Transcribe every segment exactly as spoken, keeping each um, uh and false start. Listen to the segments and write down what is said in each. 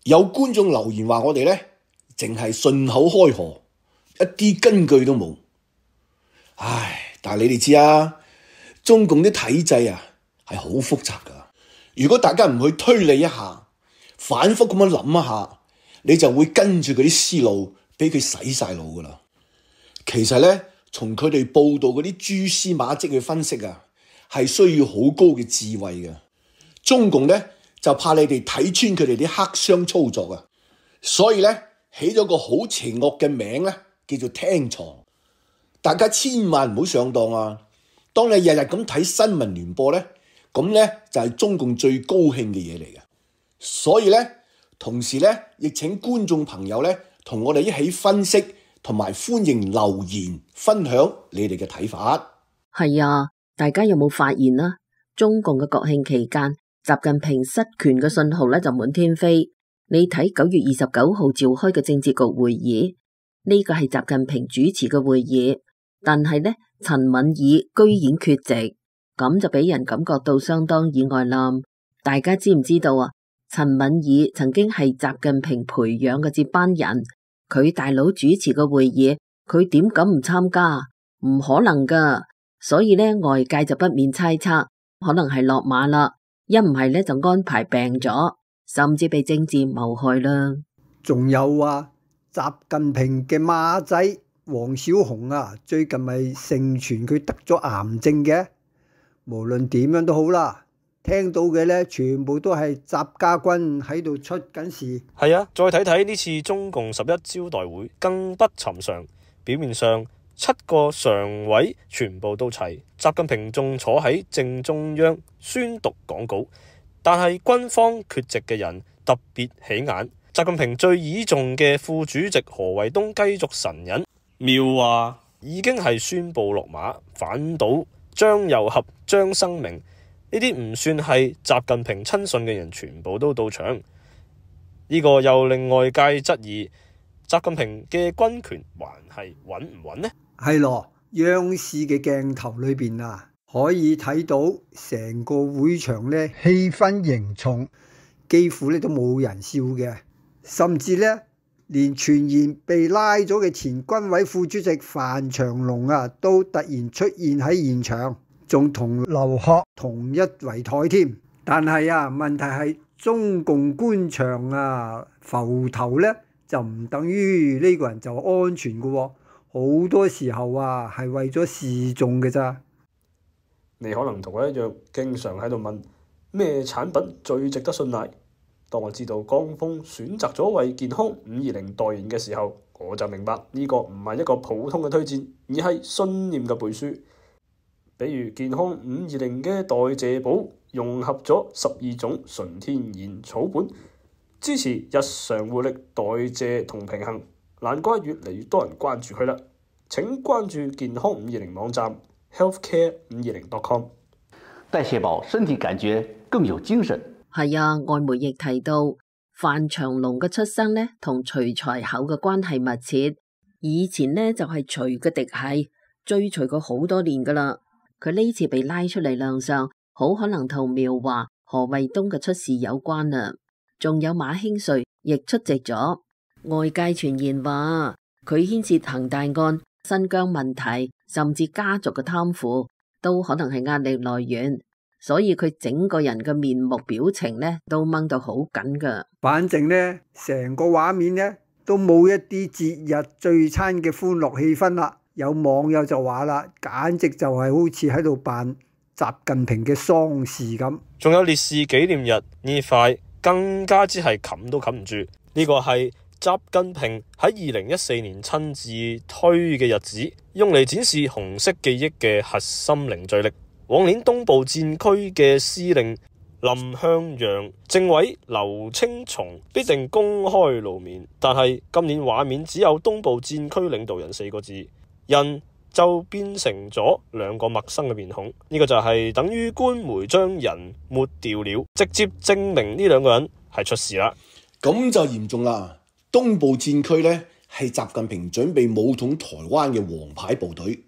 有觀眾留言話我哋呢，淨係順口開河，一啲根據都冇。唉，但係你哋知啊，中共啲體制啊係好複雜噶。如果大家唔去推理一下，反覆咁樣諗一下，你就會跟住佢啲思路，俾佢洗晒腦噶啦。其實呢，從佢哋報道嗰啲蛛絲馬跡去分析啊，係需要好高嘅智慧嘅。中共呢，就怕你哋睇穿佢哋啲黑箱操作啊，所以呢，起咗個好邪惡嘅名呢，叫做聽床。大家千萬唔好上當啊！當你日日咁睇新聞聯播呢，咁呢就係中共最高興嘅嘢嚟嘅。所以呢，同時呢，亦請觀眾朋友呢，同我哋一起分析，同埋歡迎留言分享你哋嘅睇法。係啊，大家有冇發現啊？中共嘅國慶期間，習近平失權嘅信號咧就滿天飛。你睇九月二十九號召開嘅政治局會議，呢個係習近平主持嘅會議，但係呢，陳敏爾居然缺席，咁就俾人感覺到相當意外啦。大家知唔知道啊？陳敏爾曾經係習近平培養嘅接班人，佢大佬主持嘅會議，佢點敢唔參加？唔可能噶，所以呢，外界就不免猜測，可能係落馬啦，一唔係呢，就安排病咗，甚至被政治謀害啦。仲有啊，習近平嘅孖仔王小洪啊，最近咪盛傳佢得咗癌症嘅。無論點樣都好啦，聽到嘅呢，全部都係習家軍喺度出緊事。係啊，再睇睇呢次中共十一招待會更不尋常。表面上七個常委全部都齊，習近平仲坐喺正中央宣讀講稿，但係軍方缺席嘅人特別起眼。習近平最倚重嘅副主席何衛東繼續神隱，妙話已經係宣布落馬，反倒張又俠、張生明呢啲唔算係習近平親信嘅人全部都到場，呢個又令外界質疑習近平嘅軍權還係穩唔穩呢？係咯，央視嘅鏡頭裏邊啊，可以睇到成個會場呢氣氛凝重，幾乎呢都冇人笑嘅，甚至呢連傳言被拉咗嘅前軍委副主席范長龍啊，都突然出現喺現場，仲同劉鶴同一圍台添。但係啊，問題係中共官場啊浮頭呢，就唔等於呢個人就安全嘅喎，好多時候啊係為咗示眾嘅咋。你可能同我一樣，經常喺度問咩產品最值得信賴。當我知道江峰選擇咗為健康五二零代言嘅時候，我就明白呢個唔係一個普通嘅推薦，而係信念嘅背書。比如健康五二零嘅代謝寶融合咗十二種純天然草本，支持日常活力、代謝同平衡，難怪越嚟越多人關注佢啦。請關注健康五二零網站 healthcare 五二零 dot com。代謝寶身體感覺更有精神。係啊，外媒亦提到范長龍嘅出生呢，同徐才厚嘅關係密切。以前呢，就係徐嘅嫡系，追隨佢好多年噶啦。佢呢次被拉出嚟亮相，好可能同苗華、何衛東嘅出事有關啊。仲有馬興瑞亦出席咗。外界傳言話佢牽涉恒大案、新疆問題，甚至家族嘅貪腐，都可能係壓力來源。所以佢整個人嘅面目表情呢都掹到好緊噶。反正呢，成個畫面呢都冇一啲節日聚餐嘅歡樂氣氛啦。有網友就話啦，簡直就係好似喺度辦習近平嘅喪事咁。仲有烈士紀念日呢塊更加之係冚都冚唔住。呢個係習近平喺二零一四年親自推嘅日子，用嚟展示紅色記憶嘅核心凝聚力。往年東部戰區嘅司令林向陽、政委劉青松必定公開露面，但係今年畫面只有東部戰區領導人四個字，人就變成咗兩個陌生嘅面孔。呢、這個就係等於官媒將人抹掉了，直接證明呢兩個人係出事啦。咁就嚴重啦！東部戰區呢係習近平準備武統台灣嘅王牌部隊，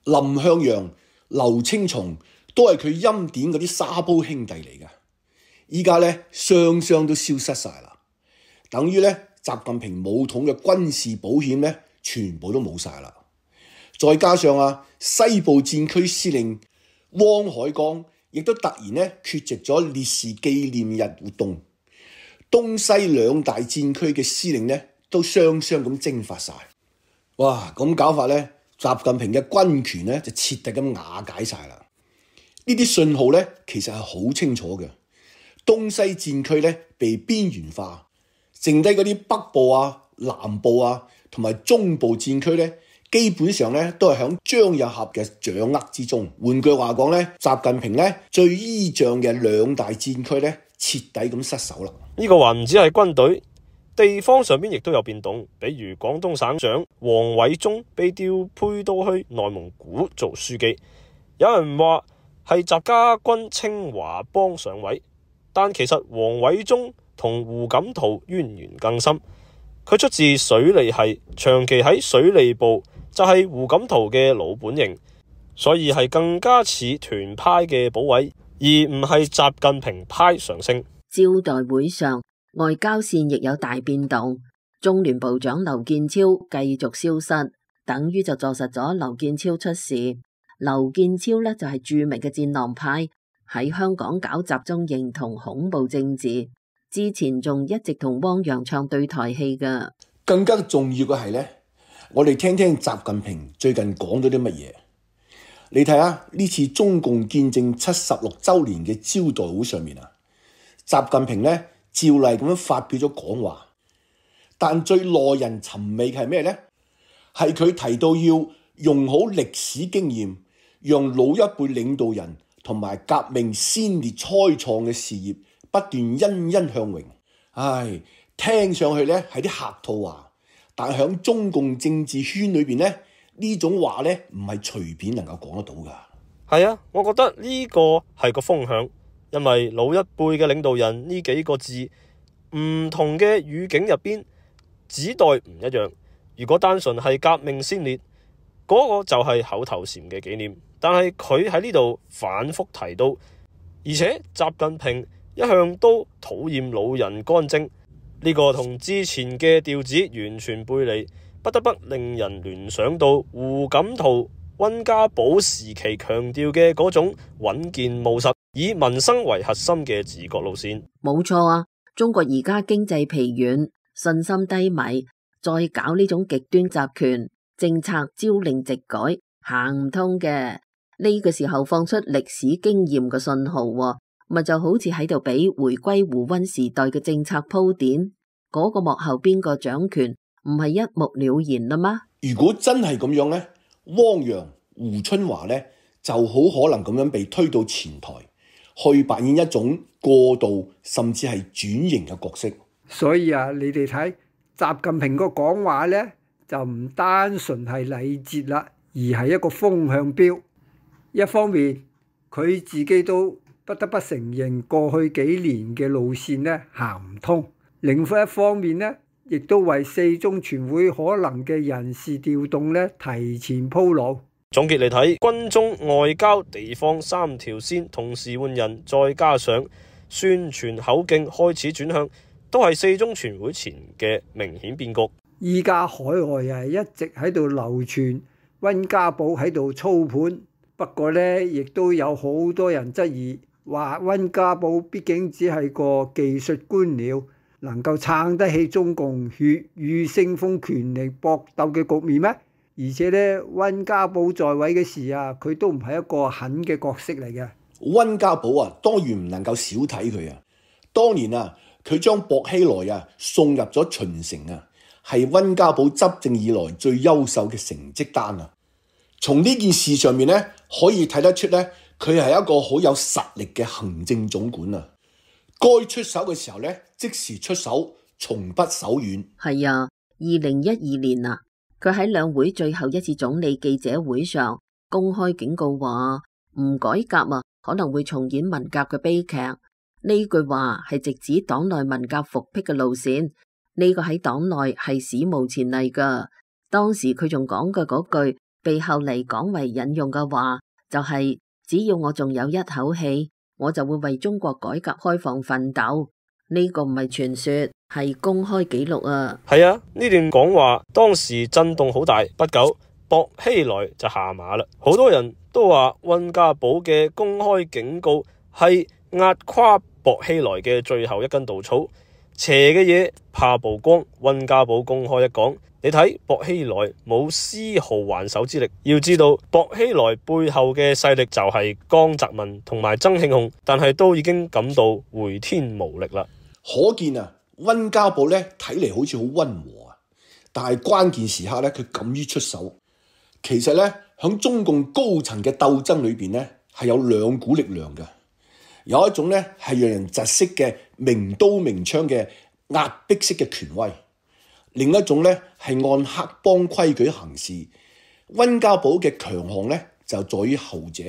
林向陽、劉青松都係佢欽點嗰啲沙煲兄弟嚟噶，依家呢雙雙都消失晒啦。等於咧習近平武統嘅軍事保險咧全部都冇晒啦。再加上啊西部戰區司令汪海剛亦都突然咧缺席咗烈士紀念日活動，東西兩大戰區嘅司令咧都雙雙咁蒸發晒。哇！咁搞法咧，習近平嘅軍權咧就徹底咁瓦解晒啦。呢啲信號咧其實係好清楚嘅，東西戰區咧被邊緣化，剩低嗰啲北部啊、南部啊同埋中部戰區咧，基本上咧都係響張又俠嘅掌握之中。換句話講咧，習近平咧最依仗嘅兩大戰區咧徹底咁失守啦。呢個還唔止係軍隊，地方上邊亦都有變動，比如廣東省長王偉中被調配到去內蒙古做書記，有人話係習家軍清華幫上位，但其實王偉中同胡錦濤淵源更深，佢出自水利系，長期喺水利部就係胡錦濤嘅老本營，所以係更加似團派嘅補位，而唔係習近平派上升。招待會上，外交線亦有大變動，中聯部長劉建超繼續消失，等於就坐實咗劉建超出事。劉建超呢就係著名嘅戰狼派，喺香港搞集中營同恐怖政治，之前仲一直同汪洋唱對台戲㗎。更加重要嘅係呢，我哋聽聽習近平最近講咗啲乜嘢。你睇下呢次中共建政七十六週年嘅招待會上面啊，習近平呢照例咁樣發表咗講話，但最耐人尋味嘅係咩呢？係佢提到要用好歷史經驗，讓老一輩領導人同埋革命先烈開創嘅事業不斷欣欣向榮。唉，聽上去呢係啲客套話，但喺中共政治圈裏邊呢，呢種話呢唔係隨便能夠講得到㗎。係啊，我覺得呢個係個風向。因為老一輩嘅領導人呢幾個字，唔同嘅語境入邊指代唔一樣。如果單純係革命先烈，嗰個就係口頭禪嘅紀念。但係佢喺呢度反覆提到，而且習近平一向都討厭老人幹政，呢個同之前嘅調子完全背離，不得不令人聯想到胡錦濤、溫家寶時期強調嘅嗰種穩健務實，以民生為核心嘅治國路線。冇錯啊，中國而家經濟疲軟，信心低迷，再搞呢種極端集權政策，朝令夕改，行唔通嘅。呢個時候放出歷史經驗嘅信號，咪就好似喺度俾回歸胡溫時代嘅政策鋪墊。嗰、那個幕後邊個掌權，唔係一目了然啦嗎？如果真係咁樣呢，汪洋、胡春華呢就好可能咁樣被推到前台，去扮演一種過渡甚至係轉型嘅角色。所以啊，你哋睇習近平個講話呢，就唔單純係禮節啦，而係一個風向標。一方面佢自己都不得不承認過去幾年嘅路線呢行唔通，另一方面呢亦都為四中全會可能嘅人事調動呢提前鋪路。總結嚟睇，軍中外交地方三條線同時換人，再加上宣傳口徑開始轉向，都係四中全會前嘅明顯變局。依家海外啊一直喺度流傳溫家寶喺度操盤，不過呢亦都有好多人質疑，話溫家寶畢竟只係個技術官僚，能夠撐得起中共血雨腥風權力搏鬥嘅局面咩？而且咧，溫家寶在位嘅時啊，佢都唔係一個狠嘅角色嚟嘅。溫家寶啊，當然唔能夠少睇佢啊。當年啊，佢將薄熙來啊送入咗秦城啊，係溫家寶執政以來最優秀嘅成績單啊。從呢件事上面咧，可以睇得出咧，佢係一個好有實力嘅行政總管啊。該出手嘅時候咧，即時出手，從不手軟。係啊，二零一二年啊。佢喺兩會最後一次總理記者會上公開警告話，唔改革啊，可能會重演文革嘅悲劇。呢句話係直指黨內文革復辟嘅路線，呢個喺黨內係史無前例噶。當時佢仲講嘅嗰句，被後嚟廣為引用嘅話，就係只要我仲有一口氣，我就會為中國改革開放奮鬥。呢個唔係傳說，係公開記錄啊。係啊，呢段講話當時震動好大，不久薄熙來就下馬啦。好多人都話溫家寶嘅公開警告係壓垮薄熙來嘅最後一根稻草。邪嘅嘢怕曝光，溫家寶公開一講，你睇薄熙來冇絲毫還手之力。要知道薄熙來背後嘅勢力就係江澤民同埋曾慶紅，但係都已經感到回天無力啦。可見啊，溫家寶咧睇嚟好似好溫和啊，但係關鍵時刻咧佢敢於出手。其實咧響中共高層嘅鬥爭裏邊咧係有兩股力量嘅。有一種咧係讓人窒息嘅明刀明槍嘅壓迫式嘅權威，另一種咧係按黑幫規矩行事。溫家寶嘅強項咧就在於後者，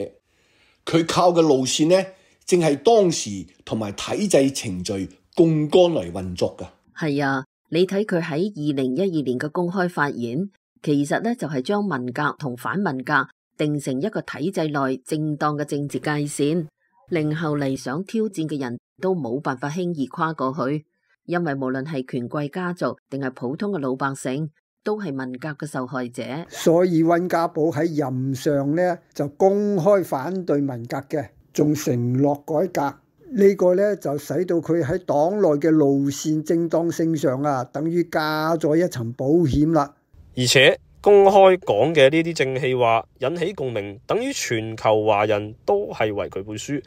佢靠嘅路線咧正係當時同埋體制程序槓桿嚟運作㗎。係啊，你睇佢喺二零一二年嘅公開發言，其實咧就係將文革同反文革定成一個體制內正當嘅政治界線，令後嚟想挑戰嘅人都冇辦法輕易跨過去，因為無論係權貴家族定係普通嘅老百姓，都係文革嘅受害者。所以溫家寶喺任上呢就公開反對文革嘅，仲承諾改革。呢個呢就使到佢喺黨內嘅路線正當性上啊，等於加咗一層保險啦。而且公開講嘅呢啲正氣話引起共鳴，等於全球華人都係為佢背書。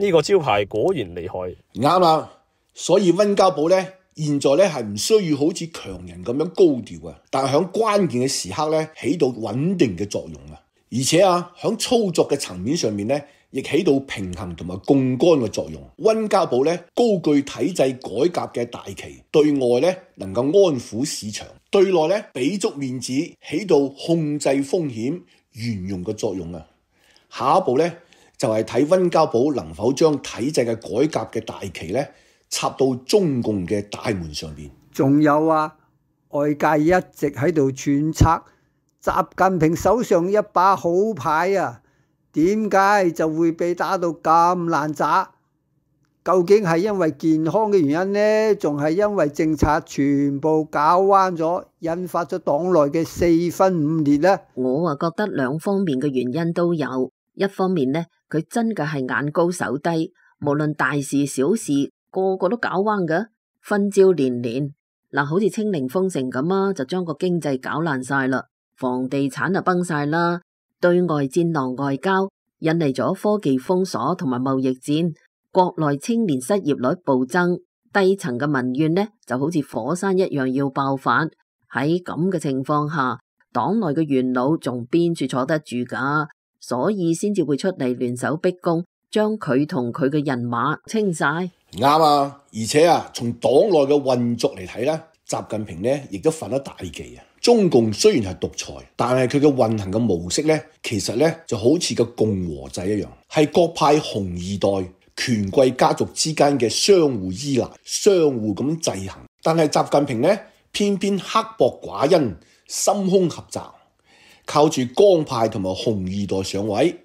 呢個招牌果然厲害。啱啦，所以溫家寶咧現在咧係唔需要好似強人咁樣高調啊，但係響關鍵嘅時刻咧起到穩定嘅作用啊，而且啊響操作嘅層面上面咧亦起到平衡同埋槓桿嘅作用。溫家寶咧高舉體制改革嘅大旗，對外咧能夠安撫市場，對內咧俾足面子，起到控制風險、圓融嘅作用啊。下一步咧就係睇溫家寶能否將體制嘅改革嘅大旗咧插到中共嘅大門上邊。仲有啊，外界一直喺度揣測習近平手上一把好牌啊，點解就會被打到咁爛渣？究竟係因為健康嘅原因呢？仲係因為政策全部搞彎咗，引發咗黨內嘅四分五裂呢？我啊覺得兩方面嘅原因都有。一方面呢，佢真嘅係眼高手低，無論大事小事，個個都搞彎㗎，分招連連。嗱，好似清零封城咁啊，就將個經濟搞爛晒啦，房地產就崩晒啦，對外戰狼外交引嚟咗科技封鎖同埋貿易戰，國內青年失業率暴增，低層嘅民怨呢就好似火山一樣要爆發。喺咁嘅情況下，黨內嘅元老仲邊處坐得住㗎？所以先至會出嚟聯手逼宮，將佢同佢嘅人馬清晒。啱啊！而且啊，從黨內嘅運作嚟睇咧，習近平咧亦都犯咗大忌啊！中共雖然係獨裁，但係佢嘅運行嘅模式咧，其實咧就好似個共和制一樣，係各派紅二代權貴家族之間嘅相互依賴、相互咁制衡。但係習近平咧，偏偏刻薄寡恩、心胸狹窄。靠住江派同埋紅二代上位，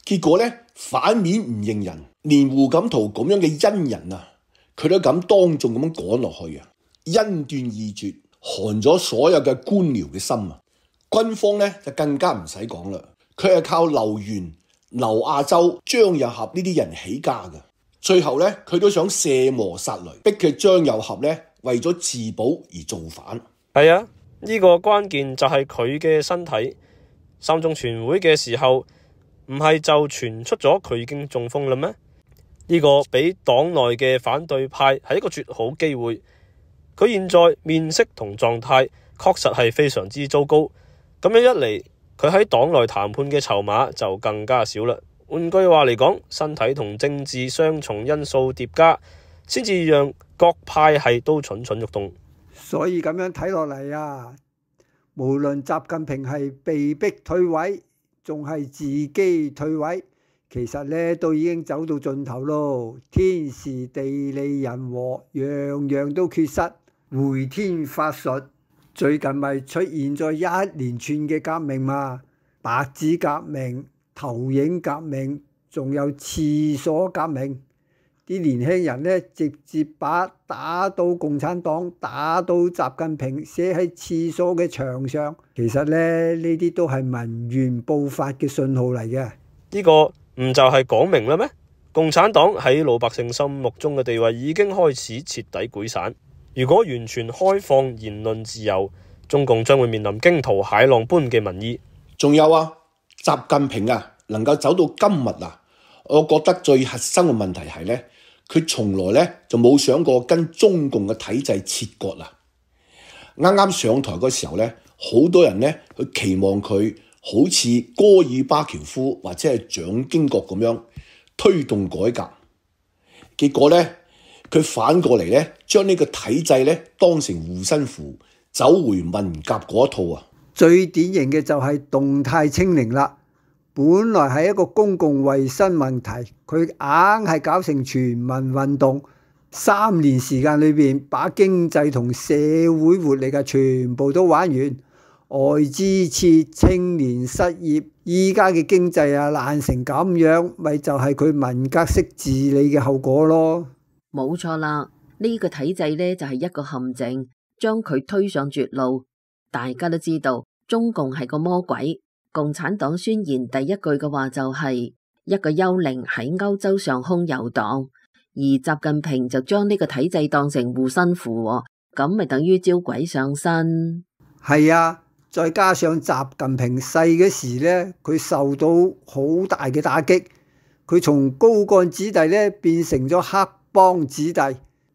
結果咧反面唔認人，連胡錦濤咁樣嘅恩人啊，佢都敢當眾咁樣趕落去啊，恩斷義絕，寒咗所有嘅官僚嘅心啊。軍方咧就更加唔使講啦，佢係靠劉源、劉亞洲、張又俠呢啲人起家嘅，最後咧佢都想卸磨殺驢，逼佢張又俠咧為咗自保而造反。係啊。呢個關鍵就係佢嘅身體。三中全會嘅時候，唔係就傳出咗佢已經中風啦咩？呢個俾黨內嘅反對派係一個絕好機會。佢現在面色同狀態確實係非常之糟糕。咁樣一嚟，佢喺黨內談判嘅籌碼就更加少啦。換句話嚟講，身體同政治雙重因素疊加，先至讓各派系都蠢蠢欲動。所以咁樣睇落嚟啊，無論習近平係被逼退位，仲係自己退位，其實咧都已經走到盡頭咯。天時地利人和，樣樣都缺失，回天乏術。最近咪出現咗一連串嘅革命嘛，白紙革命、投影革命，仲有廁所革命。啲年輕人呢，直接把打倒共產黨、打倒習近平寫喺廁所嘅牆上。其實呢，呢啲都係民怨爆發嘅信號嚟嘅。呢個唔就係講明啦咩？共產黨喺老百姓心目中嘅地位已經開始徹底潰散。如果完全開放言論自由，中共將會面臨驚濤駭浪般嘅民意。仲有啊，習近平啊，能夠走到今日啊，我覺得最核心嘅問題係呢，佢從來呢就冇想過跟中共嘅體制切割啊。啱啱上台嗰時候呢，好多人呢去期望佢好似戈爾巴喬夫或者係蔣經國咁樣推動改革，結果呢，佢反過嚟呢，將呢個體制呢當成護身符，走回文革嗰一套啊！最典型嘅就係動態清零啦。本來係一個公共衛生問題，佢硬係搞成全民運動。三年時間裏邊，把經濟同社會活力嘅全部都玩完，外資撤，青年失業，依家嘅經濟啊爛成咁樣，咪就係佢文革式治理嘅後果咯。冇錯啦，呢個體制呢就係一個陷阱，將佢推上絕路。大家都知道，中共係個魔鬼。共產黨宣言第一句嘅話就係一個幽靈喺歐洲上空遊蕩，而習近平就將呢個體制當成護身符，咁咪等於招鬼上身。係啊，再加上習近平細嗰時呢，佢受到好大嘅打擊，佢從高幹子弟呢變成咗黑幫子弟，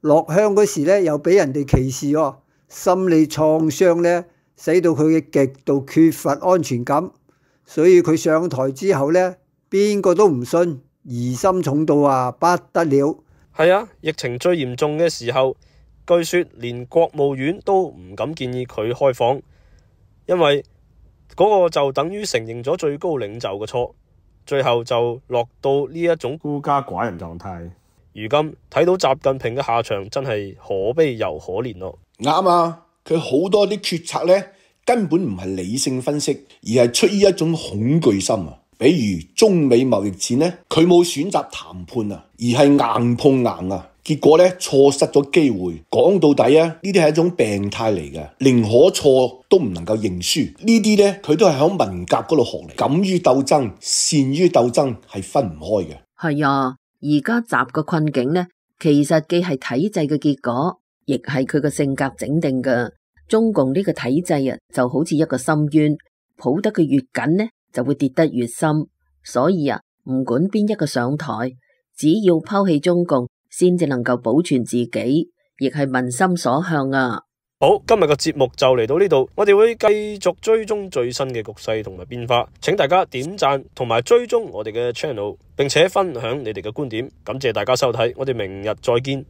落鄉嗰時呢又俾人哋歧視喎，心理創傷呢使到佢嘅極度缺乏安全感。所以佢上台之後呢，邊個都唔信，疑心重到啊不得了。係啊，疫情最嚴重嘅時候，據說連國務院都唔敢建議佢開放，因為嗰個就等於承認咗最高領袖嘅錯，最後就落到呢一種孤家寡人狀態。如今睇到習近平嘅下場，真係可悲又可憐咯。啱啊，佢好多啲決策呢，根本唔係理性分析，而係出於一種恐懼心啊！比如中美貿易戰呢，佢冇選擇談判啊，而係硬碰硬啊，結果呢，錯失咗機會。講到底啊，呢啲係一種病態嚟嘅，寧可錯都唔能夠認輸。呢啲呢，佢都係喺文革嗰度學嚟，敢於鬥爭、善於鬥爭係分唔開嘅。係啊，而家習嘅困境呢，其實既係體制嘅結果，亦係佢嘅性格整定嘅。中共呢個體制啊，就好似一個深淵，抱得佢越緊呢，就會跌得越深。所以啊，唔管邊一個上台，只要拋棄中共，先至能夠保存自己，亦係民心所向啊。好，今日嘅節目就嚟到呢度，我哋會繼續追蹤最新嘅局勢同埋變化，請大家點讚同埋追蹤我哋嘅 channel， 並且分享你哋嘅觀點。感謝大家收睇，我哋明日再見。